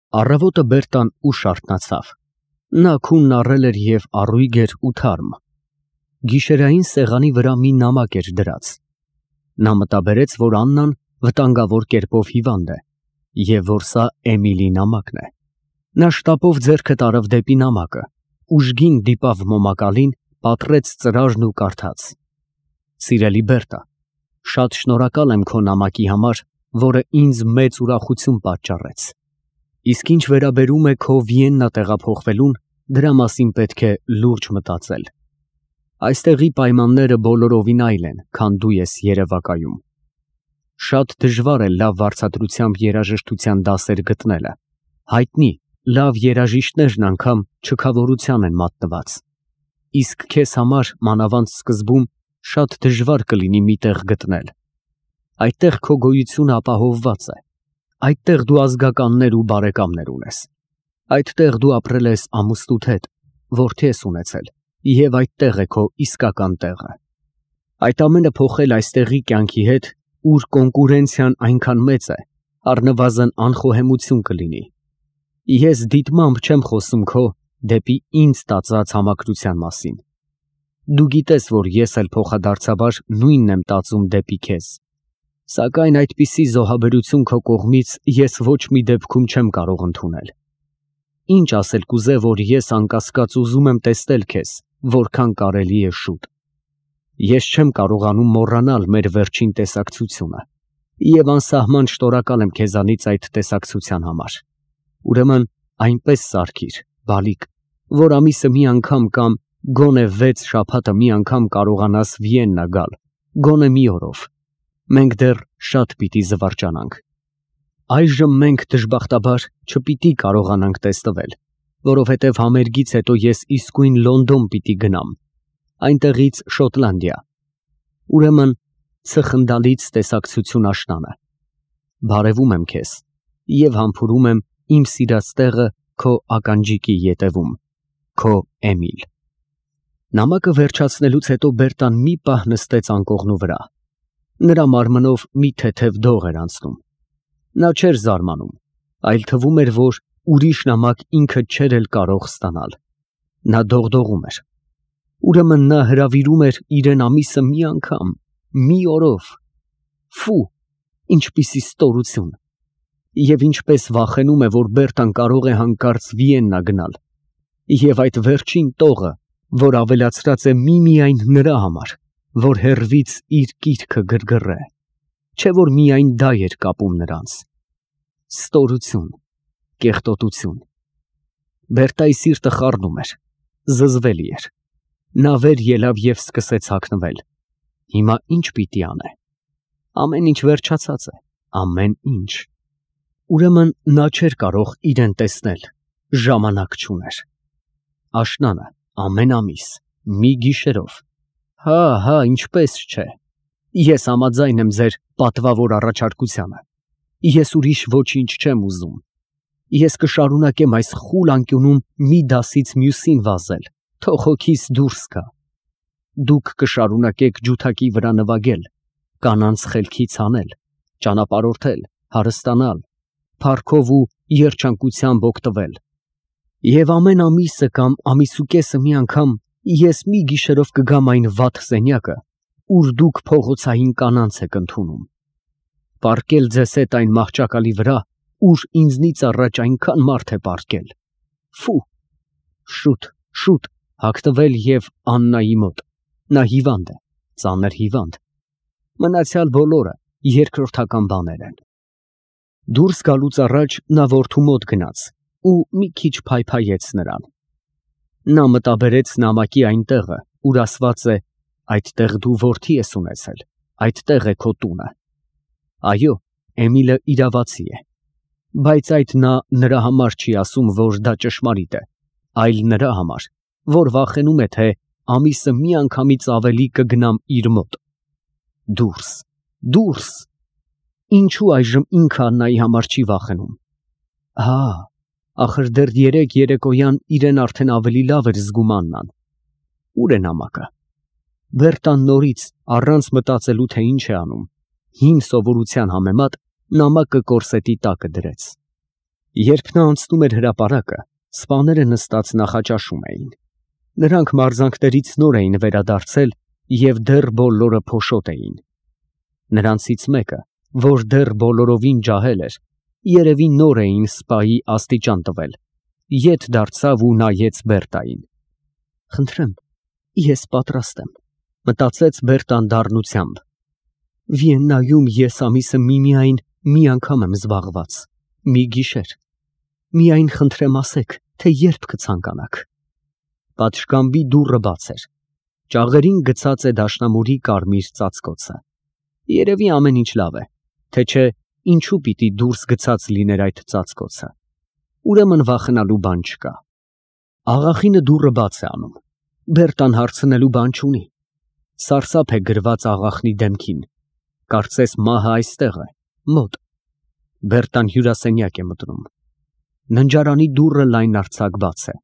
Առավոտը Բերտան ուշ արթնացավ։ Նա քունն առել էր և առույգ էր ու թարմ։ Գիշերային սեղանի վրա մի նամակ էր դրած։ Նա մտաբերեց, որ Աննան վտանգավոր կերպով հիվանդ է և որ սա Էմիլի նամակն է։ Նա շտապով ձեռքը տարավ դեպի նամակը, ուժգին դիպավ մոմակալին, պատռեց ծրարն ու կարդաց. Սիրելի Բերտա, շատ շնորհակալ եմ քո նամակի համար, որը ինձ մեծ ուրախություն պատճառեց։ Իսկ ինչ վերաբերում է քո Վիեննա տեղափոխվելուն, դրա մասին պետք է լուրջ մտածել։ Այստեղի պայմանները բոլորովին այլ են, քան դու ես երևակայում։ Շատ դժվար է լավ վարձատրությամբ երաժշտության դասեր գտնելը։ Հայտնի, լավ երաժիշտներն անգամ չքավորության են մատնված։ Իսկ քեզ համար մանավանդ սկզբում շատ դժվար կլինի մի տեղ գտնել։ Այդտեղ քո գոյությունը ապահովված է։ Այդտեղ դու ազգականներ ու բարեկամներ ունես։ Այդտեղ դու ապրել ես ամուսնուդ հետ, որդի ես ունեցել, և այդտեղ է քո իսկական տեղը։ Այդ ամենը փոխել այստեղի կյանքի հետ, ուր կոնկուրենցիան այնքան մեծ է, առնվազն անխոհեմություն կլինի։ Ես դիտմամբ չեմ խոսում քո դեպի ինձ տածած համակրության մասին։ Դու գիտես, որ ես էլ փոխադարձաբար նույնն եմ տածում դեպի քեզ։ Սակայն այդպիսի զոհաբերություն քո կողմից ես ոչ մի դեպքում չեմ կարող ընդունել։ Ինչ ասել կուզե, որ ես անկասկած ուզում եմ տեսնել քեզ, որքան կարելի է շուտ։ Ես չեմ կարողանում մոռանալ մեր վերջին տեսակցությունը և անսահման շնորհակալ եմ քեզանից այդ տեսակցության համար։ Ուրեմն այնպես սարքիր, բալիկ, որ ամիսը մի անգամ կամ գոնե 6 շաբաթը մի անգամ կարողանաս Վիեննա գալ, գոնե մի օրով։ Մենք դեռ շատ պիտի զվարճանանք։ Այժմ մենք դժբախտաբար չպիտի կարողանանք տեսնվել, որովհետև համերգից հետո ես իսկույն Լոնդոն պիտի գնամ, այնտեղից Շոտլանդիա։ Ուրեմն ցխնդալից տեսակցություն աշնանը։ Բարևում եմ քեզ և համբուրում եմ իմ սիրած տեղը քո ականջիկի ետևում, քո Էմիլ։ Նամակը վերջացնելուց հետո Բերտան մի պահ նստեց անկողնու վրա։ Նրա մարմնով մի թեթև դող էր անցնում։ Նա չէր զարմանում, այլ թվում էր, որ ուրիշ նամակ ինքը չէր էլ կարող ստանալ։ Նա դողդողում էր։ Ուրեմն նա հրավիրում էր իրեն ամիսը մի անգամ, մի օրով։ Ֆու, ինչպիսի ստորություն։ Եվ ինչպես վախենում է, որ Բերտան կարող է հանկարծ Վիեննա գնալ։ Եվ այդ վերջին տողը, որ ավելացրած է միմիայն նրա համար, որ հեռվից իր կիրքը գրգռե, չէ որ միայն դա էր կապում նրանց։ Ստորություն, կեղտոտություն։ Բերտայի սիրտը խառնում էր, զզվելի էր։ Նա վեր ելավ և սկսեց հագնվել։ Հիմա ինչ պիտի անե։ Ամեն ինչ վերջացած է, ամեն ինչ։ Ուրեմն նա չէր կարող իրեն տեսնել, ժամանակ չուներ։ Աշնանը, ամեն ամիս, մի գիշերով։ Հա, ինչպես չէ։ Ես համաձայն եմ ձեր պատվավոր առաջարկությանը։ Ես ուրիշ ոչինչ չեմ ուզում։ Ես կշարունակեմ այս խուլ անկյունում մի դասից մյուսին վազել, թող հոգիս դուրս գա։ Դուք կշարունակեք ջութակի վրա նվագել, կանանց խելքից հանել, ճանապարհորդել, հարստանալ, փառքով ու երջանկությամբ օգտվել։ Եվ ամեն ամիսը կամ ամիսուկեսը մի անգամ ես մի գիշերով կգամ այն վատ սենյակը, ուր դուք փողոցային կանանց եք ընդունում։ Պառկել ձեզ հետ այն մահճակալի վրա, ուր ինձնից առաջ այնքան մարդ է պառկել։ Ֆու, շուտ հագնվել և Աննայի մոտ։ Նա հիվանդ է, ծանր հիվանդ։ Մնացյալ բոլորը երկրորդական բաներ են։ Դուրս գալուց առաջ նա որդու մոտ գնաց ու մի քիչ փայփայեց նրան։ Նա մտաբերեց նամակի այն տեղը, ուր ասված է. այդտեղ դու որդի ես ունեցել, այդտեղ է քո տունը։ Այո, Էմիլը իրավացի է։ Բայց այդ նա նրա համար չի ասում, որ դա ճշմարիտ է, այլ նրա համար, որ վախենում է, թե ամիսը մի անգամից ավելի կգնամ իր մոտ։ Դուրս։ Ինչու այժմ ինքը Աննայի համար չի վախենում։ Հա, ախր դեռ երեկոյան իրեն արդեն ավելի լավ էր զգում Աննան։ Ուր է նամակը։ Բերտան նորից, առանց մտածելու, թե ինչ է անում, հին սովորության համեմատ նամակը կորսետի տակը դրեց։ Երբ նա անցնում էր հրապարակը, սպաները նստած նախաճաշում էին։ Նրանք մարզանքներից նոր էին վերադարձել և դեռ բոլորը փոշոտ էին։ Նրանցից մեկը, որ դեռ բոլորովին ջահել էր, երևի նոր էին սպայի աստիճան տվել, ետ դարձավ ու նայեց Բերտային։ «Խնդրեմ, ես պատրաստ եմ», մտածեց Բերտան դառնությամբ։ «Վիեննայում ես ամիսը միմիայն մի անգամ եմ զբաղված, մի գիշեր։ Միայն խնդրեմ ասեք, թե երբ կցանկանաք»։ Պատշգամբի դուռը բաց էր։ Ճաղերին գցած է դաշնամուրի կարմիր ծածկոցը։ Երևի ամեն ինչ լավ է, թե չէ ինչու պիտի դուրս գցած լիներ այդ ծածկոցը։ Ուրեմն վախենալու բան չկա։ Աղախինը դուռը բաց է անում։ Բերտան հարցնելու բան չունի։ Սարսափ է գրված աղախնի դեմքին։ Կարծես մահը այստեղ է, մոտ։ Բերտան հյուրասենյակ է մտնում։ Ննջարանի դուռը լայնարձակ բաց է։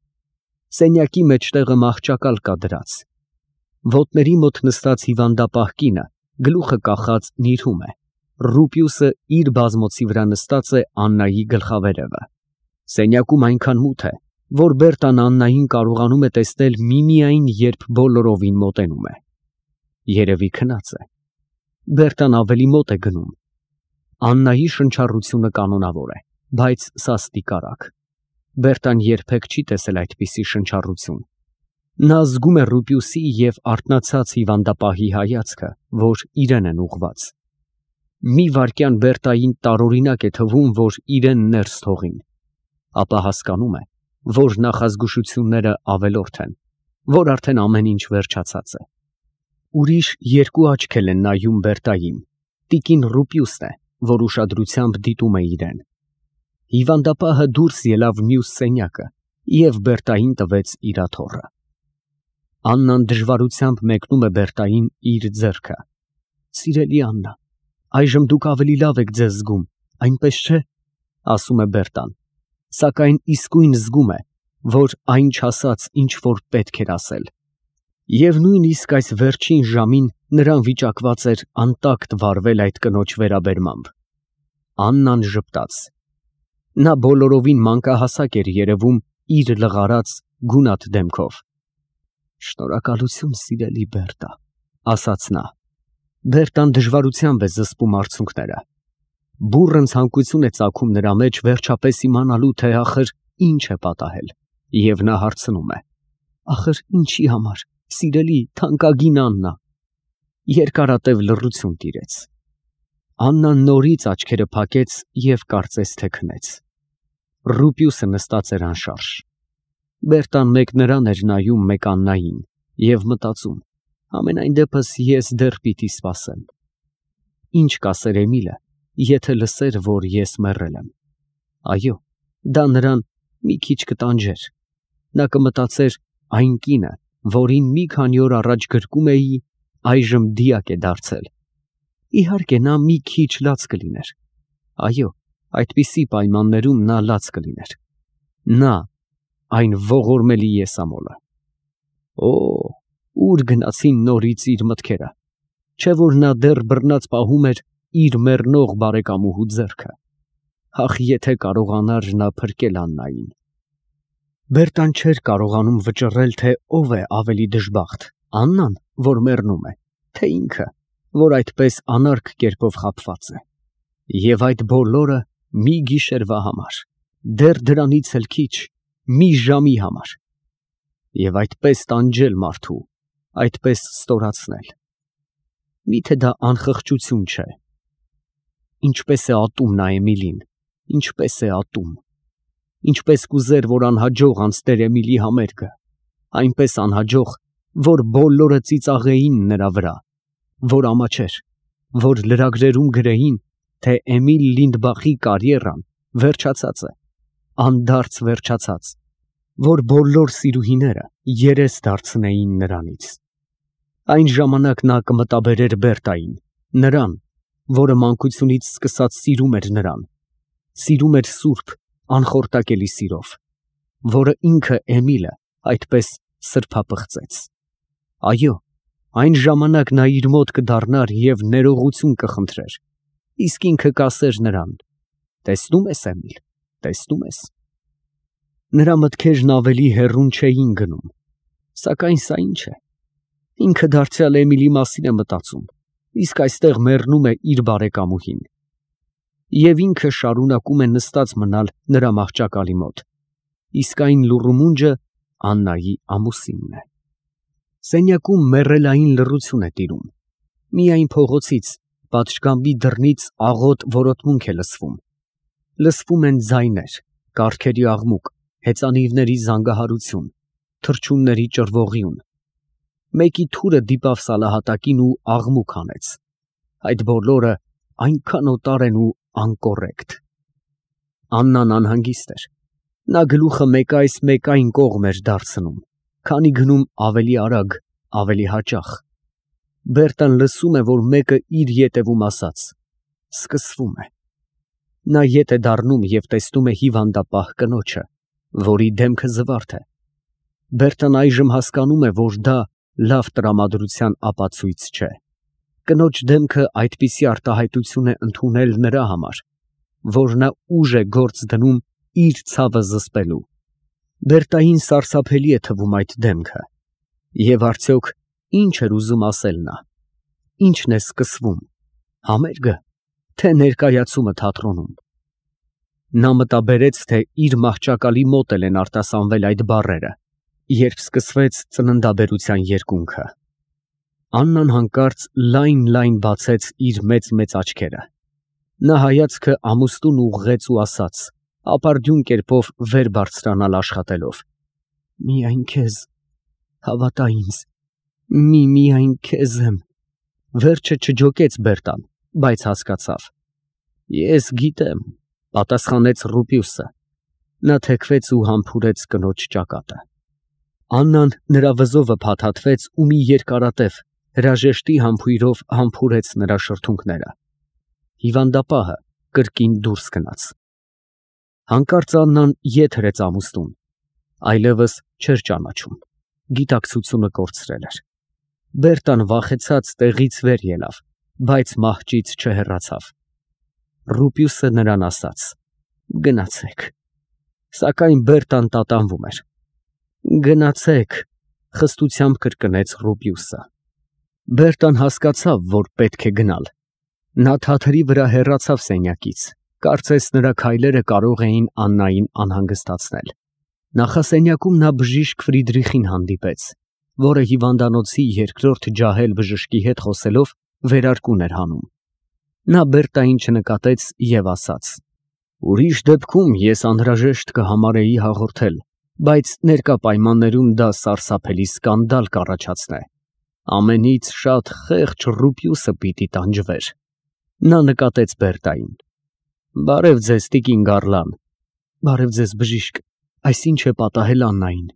Սենյակի մեջտեղը մահճակալ կա դրած։ Ոտների մոտ նստած հիվանդապահ կինը գլուխը կախած նիրհում է։ Ռուպիուսը իր բազմոցի վրա նստած է Աննայի գլխավերևը։ Սենյակում այնքան մութ է, որ Բերտան Աննային կարողանում է տեսնել միմիայն, երբ բոլորովին մոտենում է։ Երևի քնած է։ Բերտան ավելի մոտ է գնում։ Աննայի շնչառությունը կանոնավոր է, բայց սաստիկ արագ։ Բերտան երբեք չի տեսել այդպիսի շնչառություն։ Նա զգում է Ռուպիուսի և արթնացած հիվանդապահի հայացքը, որ իրեն են ուղղված։ Մի վայրկյան Բերտային տարօրինակ է թվում, որ իրեն ներս թողին, ապա հասկանում է, որ նախազգուշությունները ավելորդ են, որ արդեն ամեն ինչ վերջացած է։ Ուրիշ երկու աչքեր են նայում Բերտային։ Տիկին Ռուպիուսն է, որ ուշադրությամբ դիտում է իրեն։ Հիվանդապահը դուրս ելավ մյուս սենյակը և Բերտային տվեց իր աթոռը։ Աննան դժվարությամբ մեկնում է Բերտային իր ձեռքը։ «Սիրելի Աննա, այժմ դուք ավելի լավ եք ձեզ զգում, այնպես չէ», ասում է Բերտան, սակայն իսկույն զգում է, որ այն չասաց, ինչ որ պետք էր ասել։ Եվ նույնիսկ այս վերջին ժամին նրան վիճակված էր անտակտ վարվել այդ կնոջ վերաբերմամբ։ Աննան ժպտաց։ Նա բոլորովին մանկահասակ էր երևում իր լղարած գունատ դեմքով։ «Շնորհակալություն, սիրելի Բերտա», ասաց նա։ Բերտան դժվարությամբ է զսպում արցունքները։ Բուռն ցանկություն է ծագում նրա մեջ վերջապես իմանալու, թե ախր ինչ է պատահել, և նա հարցնում է. «Ախր ինչի համար, սիրելի, թանկագին Աննա»։ Երկարատև լռություն տիրեց։ Աննան նորից աչքերը փակեց և կարծես թե քնեց։ Ռուպիուսը նստած էր անշարժ։ Բերտան մեկ նրան էր նայում, մեկ Աննային, և մտածում. համենայն դեպս ես դեռ պիտի սպասեմ։ Ինչ կասեր Էմիլը, եթե լսեր, որ ես մեռել եմ։ Այո, դա նրան մի քիչ կտանջեր։ Նա կմտածեր, այն կինը, որին մի քանի օր առաջ գրկում էի, այժմ դիակ է դարձել։ Իհարկե, նա մի քիչ լաց կլիներ։ Այո, այդպիսի պայմաններում նա լաց կլիներ։ Նա, այն ողորմելի եսամոլը։ Օ, ուր գնացին նորից իր մտքերը։ Չէ՞ որ նա դեռ բռնած պահում էր իր մեռնող բարեկամուհու ձեռքը։ Ախ, եթե կարողանար նա փրկել Աննային։ Բերտան չէր կարողանում վճռել, թե ով է ավելի դժբախտ, Աննան, որ մեռնում է, թե ինքը, որ այդպես անարգ կերպով խաբված է։ Եվ այդ բոլորը մի գիշերվա համար, դեռ դրանից էլ քիչ, մի ժամի համար։ Եվ այդպես տանջել մարդու, այդպես ստորացնել։ Միթե դա անխղճություն չէ։ Ինչպես է ատում նա Էմիլին, ինչպես է ատում։ Ինչպես կուզեր, որ անհաջող անցներ Էմիլի համերգը, այնպես անհաջող, որ բոլորը ծիծաղեին նրա վրա, որ ամաչեր, որ լրագրերում գրեին, թե Էմիլ Լինդբախի կարիերան վերջացած է, անդարձ վերջացած, որ բոլոր սիրուհիները երես դարձնեին նրանից։ Այն ժամանակ նա կմտաբերեր Բերտային, նրան, որը մանկությունից սկսած սիրում էր նրան, սիրում էր սուրբ, անխորտակելի սիրով, որը ինքը Էմիլը այդպես սրբապղծեց։ Այո, այն ժամանակ նա իր մոտ կդառնար և ներողություն կխնդրեր, իսկ ինքը կասեր նրան. «Տեսնում ես, Էմիլ, տեսնում ես։ Նրա մտքերն ավելի հեռուն չէին գնում, սակայն սա ինչ է։ Ինքը դարձյալ Էմիլի մասին է մտածում, իսկ այստեղ մեռնում է իր բարեկամուհին։ Եվ ինքը շարունակում է նստած մնալ նրա մահճակալի մոտ, իսկ այն լուռումունջը Աննայի ամուսինն է։ Սենյակում մեռելային լռություն է տիրում, միայն փողոցից, պատշգամբի դռնից աղոտ որոտմունք է լսվում են ձայներ, կառքերի աղմուկ, հեծանիվների զանգահարություն, թռչունների ճռվողիուն։ Մեկի թուրը դիպավ սալահատակին ու աղմուկ հանեց։ Այդ բոլորը այնքան օտար են ու անկոռեկտ։ Աննան անհանգիստ էր։ Նա գլուխը մեկ այս մեկ այն կողմ էր դարձնում, քանի գնում ավելի արագ, ավելի հաճախ։ Բերտան լսում է, որ մեկը իր ետևում ասաց. սկսվում է։ Նա ետ է դառնում և տեսնում է հիվանդապահ կնոջը, որի դեմքը զվարթ է։ Բերտան այժմ հասկանում է, որ դա լավ տրամադրության ապացույց չէ։ Կնոջ դեմքը այդպիսի արտահայտություն է ընդունել նրա համար, որ նա ուժ է գործ դնում իր ցավը զսպելու։ Բերտային սարսափելի է թվում այդ դեմքը։ Եվ արդյոք ինչ էր ուզում ասել նա։ Ինչն է սկսվում, համերգը, թե ներկայացումը թատրոնում։ Նա մտաբերեց, թե իր մահճակալի մոտ են արտասանվել այդ բառերը, երբ սկսվեց ծննդաբերության երկունքը։ Աննան հանկարծ լայն բացեց իր մեծ աչքերը։ Նա հայացքը ամուստուն ուղղեց ու ասաց, ապարդյուն կերպով վեր բարձրանալ աշխատելով. միայն քեզ, հավատա ինձ, միայն քեզ եմ։ Վերջը չջոկեց Բերտան, բայց հասկացավ։ Ես գիտեմ, պատասխանեց Ռուպիուսը։ Նա թեքվեց ու համբուրեց կնոջ ճակատը։ Աննան նրա վզովը փաթաթվեց ու մի երկարատև հրաժեշտի համբույրով համբուրեց նրա շրթունքները։ Հիվանդապահը կրկին դուրս գնաց։ Հանկարծ Աննան ետ հրեց ամուստուն, այլևս չէր ճանաչում, գիտակցությունը կորցրել էր։ Բերտան վախեցած տեղից վեր ելավ, բայց մահճից չհեռացավ։ Ռուպիուսը նրան ասաց. գնացեք։ Սակայն Բերտան տատանվում էր։ Գնացեք, խստությամբ կրկնեց Ռուպիուսը։ Բերտան հասկացավ, որ պետք է գնալ։ Նա թաթերի վրա հեռացավ սենյակից, կարծես նրա քայլերը կարող էին Աննային անհանգստացնել։ Նախասենյակում նա բժիշկ Ֆրիդրիխին հանդիպեց, որը հիվանդանոցի երկրորդ ջահել բժշկի հետ խոսելով վերարկուն էր հանում։ Նա Բերտային չնկատեց և ասաց. ուրիշ դեպքում ես անհրաժեշտ կհամարեի հաղորդել, բայց ներկա պայմաններում դա սարսափելի սկանդալ կառաջացնե։ Ամենից շատ խեղճ Ռուպիուսը պիտի տանջվեր։ Նա նկատեց Բերտային։ Բարև ձեզ, տիկին Գառլան։ Բարև ձեզ, բժիշկ, այս ինչ է պատահել Աննային։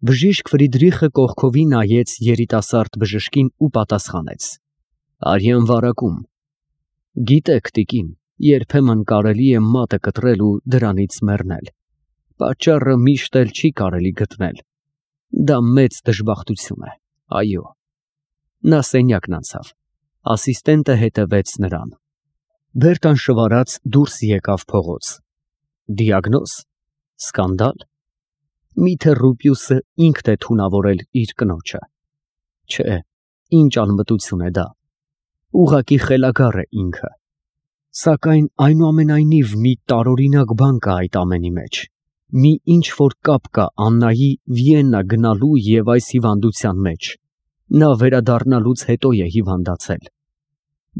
Բժիշկ Ֆրիդրիխը կողքովի նայեց երիտասարդ բժշկին ու պատասխանեց. արյան վարակում։ Գիտեք, տիկին, երբեմն կարելի է մատը կտրել ու դրանից մեռնել։ Պատճառը միշտ էլ չի կարելի գտնել։ Դա մեծ դժբախտություն է, այո։ Նա սենյակն անցավ։ Ասիստենտը հետևեց նրան։ Բերտան շվարած դուրս եկավ փողոց։ Դիագնոզ, սկանդալ։ Միթե Ռուպիուսը ինքն է թունավորել իր կնոջը։ Չէ, ինչ անմտություն է դա։ Ուղղակի խելագար է ինքը։ Սակայն այնուամենայնիվ մի տարօրինակ բան կա այդ ամենի մեջ։ Մի ինչ-որ կապ կա Աննայի Վիեննա գնալու և այս հիվանդության մեջ։ Նա վերադառնալուց հետո է հիվանդացել։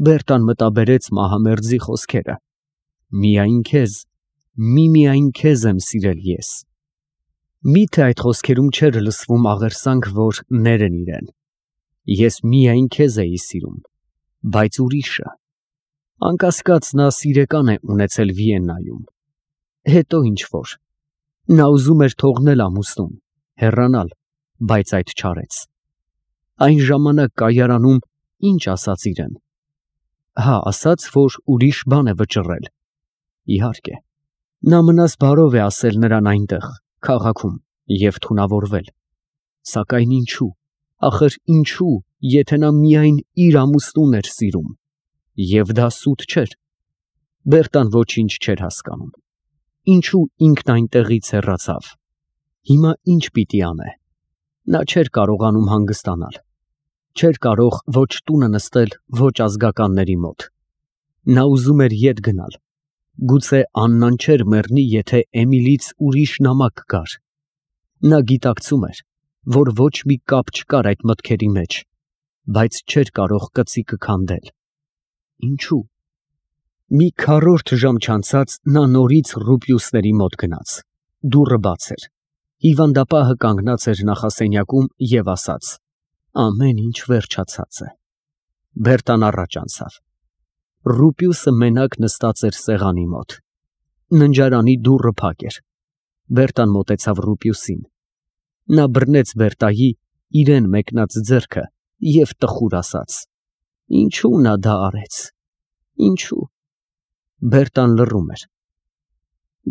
Բերտան մտաբերեց մահամերձի խոսքերը. միայն քեզ, միայն քեզ եմ սիրել ես։ Միթե այդ խոսքերում չէր լսվում աղերսանք, որ ներեն իրեն։ Ես միայն քեզ էի սիրում, բայց ուրիշը։ Անկասկած նա սիրեկան է ունեցել Վիեննայում։ Հետո ինչ-որ։ Նա ուզում էր թողնել ամուսնուն, հեռանալ, բայց այդ չարեց։ Այն ժամանակ կայարանում ինչ ասաց իրեն։ Հա, ասաց, որ ուրիշ բան է վճռել։ Իհարկե, նա մնաս բարով է ասել նրան այնտեղ, քաղաքում, և թունավորվել։ Սակայն ինչու, ախր ինչու, եթե նա միայն իր ամուսնուն էր սիրում։ Եվ դա սուտ չէր։ Բերտան ոչինչ չէր հասկանում։ ինչու ինքն այնտեղից հեռացավ։ Հիմա ինչ պիտի անե։ Նա չէր կարողանում հանգստանալ։ Չէր կարող ոչ տունը նստել, ոչ ազգականների մոտ։ Նա ուզում էր ետ գնալ։ Գուցե Աննան չէր մեռնի, եթե Էմիլից ուրիշ նամակ գար։ Նա գիտակցում էր, որ ոչ մի կապ չկար այդ մտքերի մեջ, բայց չէր կարող կծիկը քանդել։ Ինչու՞։ Մի քառորդ ժամ չանցած նա նորից Ռուպիուսների մոտ գնաց։ Դուռը բաց էր։ Հիվանդապահը կանգնած էր նախասենյակում և ասաց. ամեն ինչ վերջացած է։ Բերտան առաջ անցավ։ Ռուպիուսը մենակ նստած էր սեղանի մոտ։ Ննջարանի դուռը փակ էր։ Բերտան մոտեցավ Ռուպիուսին։ Նա բռնեց Բերտայի իրեն մեկնած ձեռքը և տխուր ասաց. ինչու նա դա արեց։ Ինչու։ Բերտան լռում էր։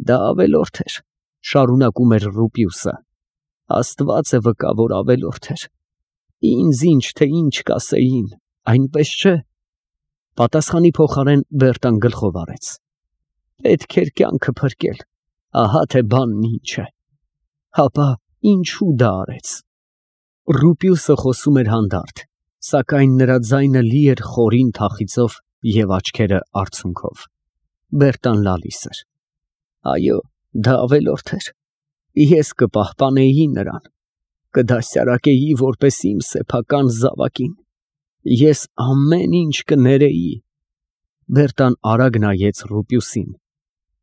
Դա ավելորդ էր, շարունակում էր Ռուպիուսը։ Աստված է վկա, որ ավելորդ էր։ Ինձ ինչ թե ինչ կասեին, այնպես չէ։ Պատասխանի փոխարեն Բերտան գլխով արեց։ Պետք էր կյանքը փրկել, ահա թե բանն ինչ է։ Հապա ինչու դա արեց։ Ռուպիուսը խոսում էր հանդարտ, սակայն նրա ձայնը լի էր խորին թախիծով և աչքերը արցունքով։ Բերտան լալիս էր։ Այո, դա ավելորդ էր։ Ես կպահպանեի նրան, կդասյարակեի որպես իմ սեփական զավակին։ Ես ամեն ինչ կներեի։ Բերտան արագ նայեց Ռուպիուսին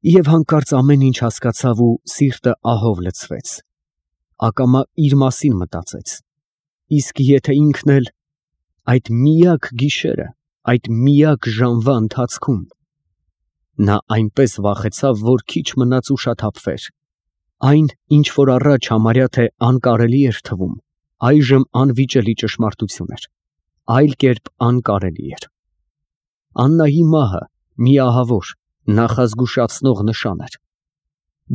և հանկարծ ամեն ինչ հասկացավ ու սիրտը ահով լցվեց։ Ակամա իր մասին մտածեց։ Իսկ եթե ինքն էլ այդ միակ գիշերը, այդ միակ ժամվա ընթացքում։ Նա այնպես վախեցավ, որ քիչ մնաց ուշաթափվեր։ Այն, ինչ որ առաջ համարյա թե անկարելի էր թվում, այժմ անվիճելի ճշմարտություն էր։ Այլ կերպ անկարելի էր։ Աննայի մահը մի ահավոր, նախազգուշացնող նշան էր։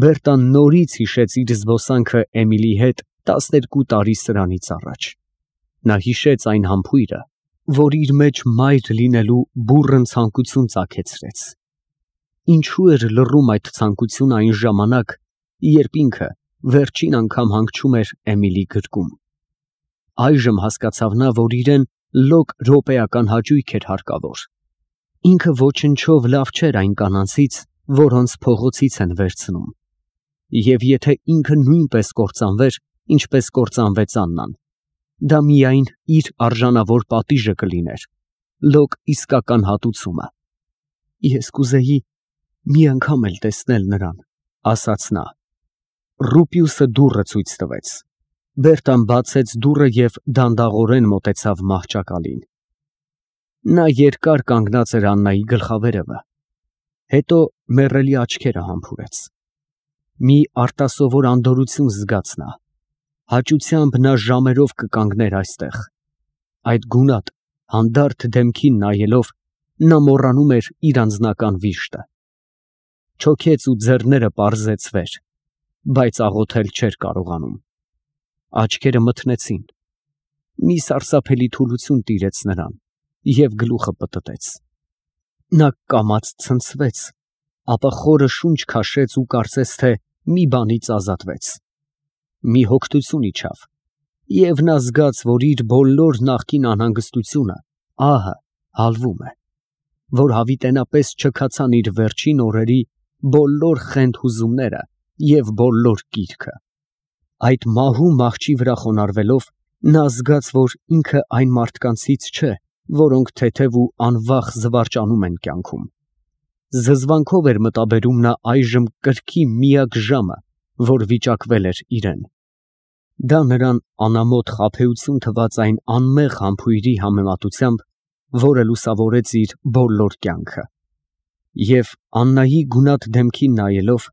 Բերտան նորից հիշեց իր զբոսանքը Էմիլի հետ 12 տարի սրանից առաջ։ Նա հիշեց այն համբույրը, որ իր մեջ մայր լինելու բուռն ցանկություն ծագեցրեց։ Ինչու էր լռում այդ ցանկությունը այն ժամանակ, երբ ինքը վերջին անգամ հանգչում էր Էմիլի գրկում։ Այժմ հասկացավ նա, որ իրեն լոկ րոպեական հաճույք էր հարկավոր։ Ինքը ոչնչով լավ չէր այն կանանցից, որոնց փողոցից են վերցնում։ Եվ եթե ինքը նույնպես կործանվեր, ինչպես կործանվեց Աննան, դա միայն իր արժանավոր պատիժը կլիներ, լոկ իսկական հատուցումը։ Ես կուզեի մի անգամ էլ տեսնել նրան, ասաց նա։ Ռուպիուսը դուռը ցույց տվեց։ Բերտան բացեց դուռը և դանդաղորեն մոտեցավ մահճակալին։ Նա երկար կանգնած էր Աննայի գլխավերևը, հետո մեռելի աչքերը համբուրեց։ Մի արտասովոր անդորրություն զգաց նա։ Հաճությամբ նա ժամերով կկանգներ այստեղ։ Այդ գունատ, հանդարտ դեմքին նայելով, նա մոռանում էր իր անձնական վիշտը։ Չոքեց ու ձեռները պարզեց վեր, բայց աղոթել չէր կարողանում։ Աչքերը մթնեցին։ Մի սարսափելի թուլություն տիրեց նրան և գլուխը պտտեց։ Նա կամաց ցնցվեց, ապա խորը շունչ քաշեց ու կարծես թե մի բանից ազատվեց։ Մի հոգնություն իջավ, և նա զգաց, որ իր բոլոր նախկին անհանգստությունը, ահը, հալվում է, որ հավիտենապես չքացան իր վերջին օրերի բոլոր խենթ հուզումները և բոլոր կիրքը։ Այդ մահու մահճի վրա խոնարհվելով, նա զգաց, որ ինքը այն մարդկանցից չէ, որոնք թեթև ու անվախ զվարճանում են կյանքում։ Զզվանքով էր մտաբերում նա այժմ կրքի միակ ժամը, որ վիճակվել էր իրեն։ Դա նրան անամոթ խաբեություն թվաց այն անմեղ համբույրի համեմատությամբ, որը լուսավորեց իր բոլոր կյանքը։ Եվ Աննայի գունատ դեմքին նայելով,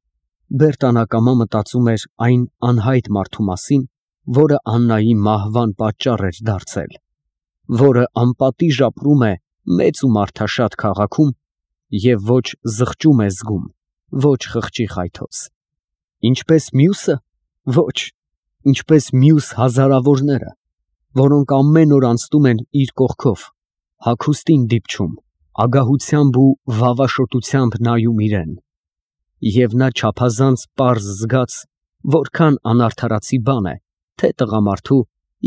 Բերտան ակամա մտածում էր այն անհայտ մարդու մասին, որը Աննայի մահվան պատճառ էր դարձել, որը անպատիժ ապրում է մեծ ու մարդաշատ քաղաքում և ոչ զղջում է զգում, ոչ խղճի խայթոց։ Ինչպես մյուսը, ոչ, ինչպես մյուս հազարավորները, որոնք ամեն օր անցնում են իր կողքով, հագուստին դիպչում, ագահությամբ ու վավաշոտությամբ նայում իրեն։ Եվ նա չափազանց պարզ զգաց, որքան անարդարացի բան է, թե տղամարդու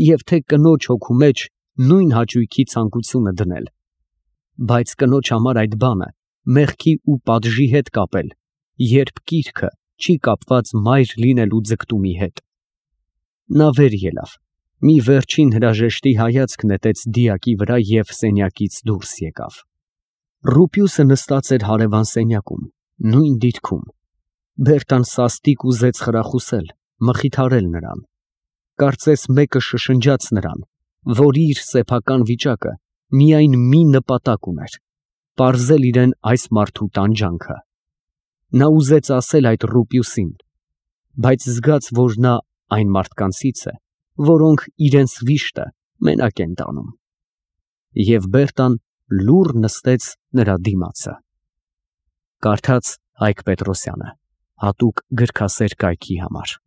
և թե կնոջ հոգու մեջ նույն հաճույքի ցանկությունը դնել, բայց կնոջ համար այդ բանը մեղքի ու պատժի հետ կապել, երբ կիրքը չի կապված մայր լինելու ձգտումի հետ։ Նա վեր ելավ, մի վերջին հրաժեշտի հայացք նետեց դիակի վրա և սենյակից դուրս եկավ։ Ռուպիուսը նստած էր հարևան սենյակում, նույն դիրքում։ Բերտան սաստիկ ուզեց խրախուսել, մխիթարել նրան։ Կարծես մեկը շշնջաց նրան, որ իր սեփական վիճակը միայն մի նպատակ ուներ՝ պարզել իրան այս մարդու տանջանքը։ Նա ուզեց ասել այդ Ռուպիուսին, բայց զգաց, որ նա այն մարդկանցից է, որոնք իրենց վիշտը մենակ են տանում։ Եվ Բերտան լուռ նստեց նրա դիմացը։ Կարդաց Հայկ Պետրոսյանը, հատուկ գրքասեր կայքի համար։